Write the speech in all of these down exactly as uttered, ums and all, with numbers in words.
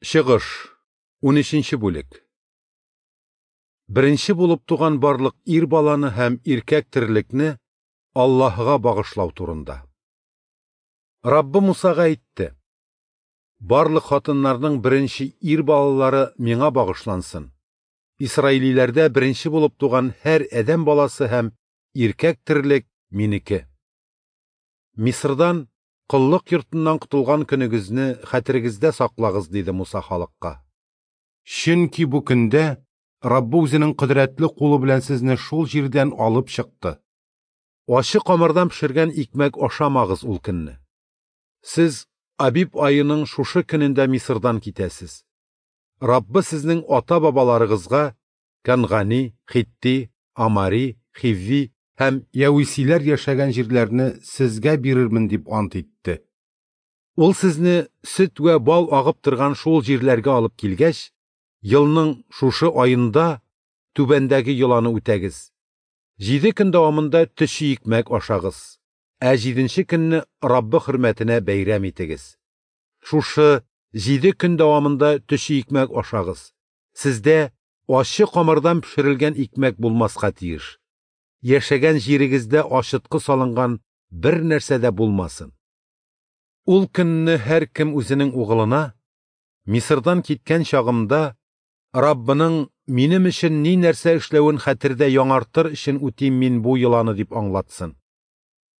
Чыгыш, унөченче бүлек. Беренче булып туган барлык ир баланы һәм иркәк терлекне Аллаһыга багышлау турында. Раббы Мусага әйтте: барлык хатыннарның беренче ир балалары миңа багышлансын. Исраилиләрдә беренче булып туган һәр адәм баласы һәм иркәк терлек минеке. Мисырдан коллык йортыннан котылган көнегезне хәтерегездә саклагыз, диде Муса халыкка. Чөнки бу көндә Раббы үзенең кодрәтле кулы белән сезне шул җирдән алып чыкты. Ачы камырдан пешергән икмәк ашамагыз ул көнне. Сез Абиб аеның шушы көнендә Мисырдан китәсез. Раббы сезнең ата-бабаларыгызга Кангани, Хитти, Амари, Хивви һәм Яүисиләр яшәгән җирләрне сезгә бирермен дип ант итте. Ул сезне сөт вә бал агып торган шул җирләргә алып килгәч, елның шушы аенда түбәндәге йоланы үтәгез. Җиде көн дәвамында төче икмәк ашагыз, ә җиденче көнне Раббы хөрмәтенә бәйрәм итегез. Шушы җиде көн дәвамында төче икмәк ашагыз. Сездә ачы камырдан пешерелгән икмәк булмаска тиеш. Яшәгән җирегездә ачыткы салынган бер нәрсә дә булмасын. Ул көнне һәркем үзенең угылына: Мисырдан киткән чагымда Раббының минем өчен ни нәрсә эшләвен хәтердә яңартыр өчен үтим мин бу йоланы, дип аңлатсын.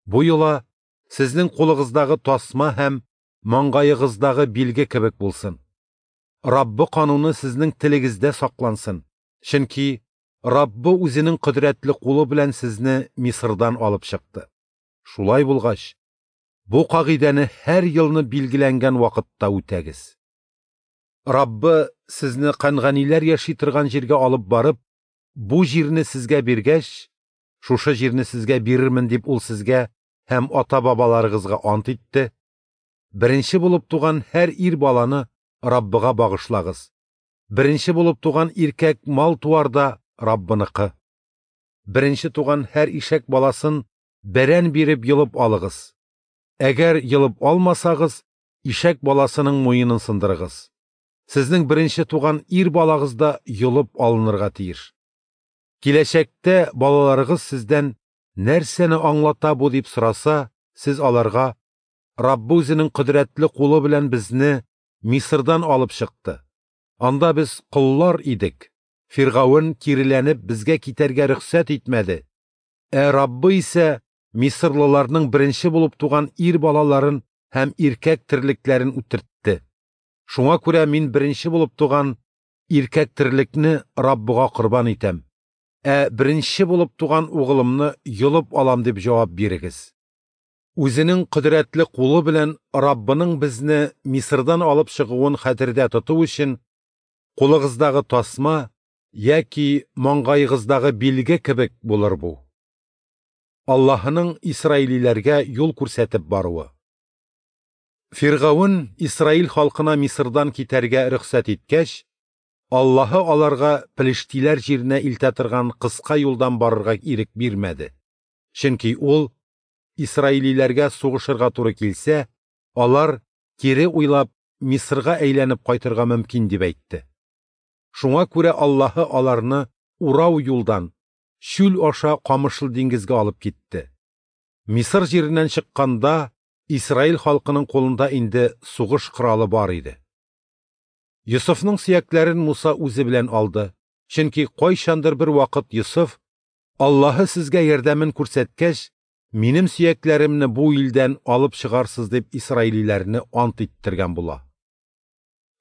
Бу йола сезнең кулыгыздагы тасма һәм маңгаегыздагы билге кебек булсын. Раббы кануны сезнең телегездә саклансын, чөнки Раббы үзенең кодрәтле кулы белән сезне Мисырдан алып чыкты. Шулай булгач, бу кагыйдәне һәр елны билгеләнгән вакытта үтәгез. Раббы сезне канганиләр яши торган җиргә алып барып, бу җирне сезгә биргәч, шушы җирне сезгә бирермен дип ул сезгә һәм ата-бабаларыгызга ант итте. Беренче булып туган һәр ир баланы Раббыга багышлагыз. Беренче булып туган иркәк мал-туар да Раббыныкы. Беренче туган һәр ишәк баласын бәрән биреп йолып алыгыз. Әгәр йолып алмасагыз, ишәк баласының муенын сындырыгыз. Сезнең беренче туган ир балагыз да йолып алынырга тиеш. Киләчәктә балаларыгыз сездән нәрсәне аңлата бу дип сораса, сез аларга: Раббы үзенең кодрәтле кулы белән безне Мисырдан алып чыкты. Анда без коллар идек. Фиргавен киреләнеп безгә китәргә рөхсәт итмәде. Ә Раббы исә мисырлыларның беренче булып туган ир балаларын һәм иркәк терлекләрен үтертте. Шуңа күрә мин беренче булып туган иркәк терлекне Раббыга корбан итәм. Ә беренче булып туган угылымны йолып алам, дип җавап бирегез. Үзенең кодрәтле кулы белән Раббының безне Мисырдан алып чыгуын хәтердә тоту өчен кулыгыздагы тасма яки маңгаегыздагы билге кебек булыр бу. Аллаһының исраилиләргә юл күрсәтеп баруы. Фиргавен Исраил халкына Мисырдан китәргә рөхсәт иткәч, Аллаһы аларга Пелештиләр җиренә илтә торган кыска юлдан барырга ирек бирмәде. Чөнки ул исраилиләргә сугышырга туры килсә, алар кире уйлап Мисырга әйләнеп кайтырга мөмкин дип әйтте. Шуңа күрә Аллаһы аларны урау юлдан, чүл аша Камышлы диңгезгә алып китте. Мисыр җиреннән чыкканда Исраил халкының кулында инде сугыш коралы бар иде. Йосыфның сөякләрен Муса үзе белән алды, чөнки кайчандыр бер вакыт Йосыф: Аллаһы сезгә ярдәмен күрсәткәч, минем сөякләремне бу илдән алып чыгарсыз, дип исраилиләрне ант иттергән була.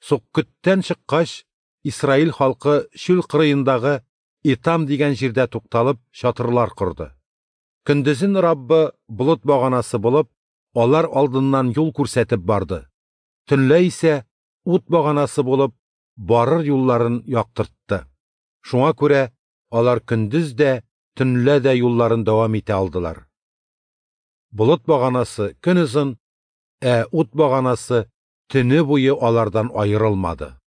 Суккөттән чыккач, Исраил халкы чүл кырыендагы Итам дигән җирдә тукталып чатырлар корды. Көндезен Раббы болыт баганасы булып, алар алдыннан юл күрсәтеп барды. Төнлә исә ут баганасы булып, барыр юлларын яктыртты. Шуңа күрә алар көндез дә, төнлә дә юлларын дәвам итә алдылар. Болыт баганасы көнозын, ә ут баганасы төне буе алардан аерылмады.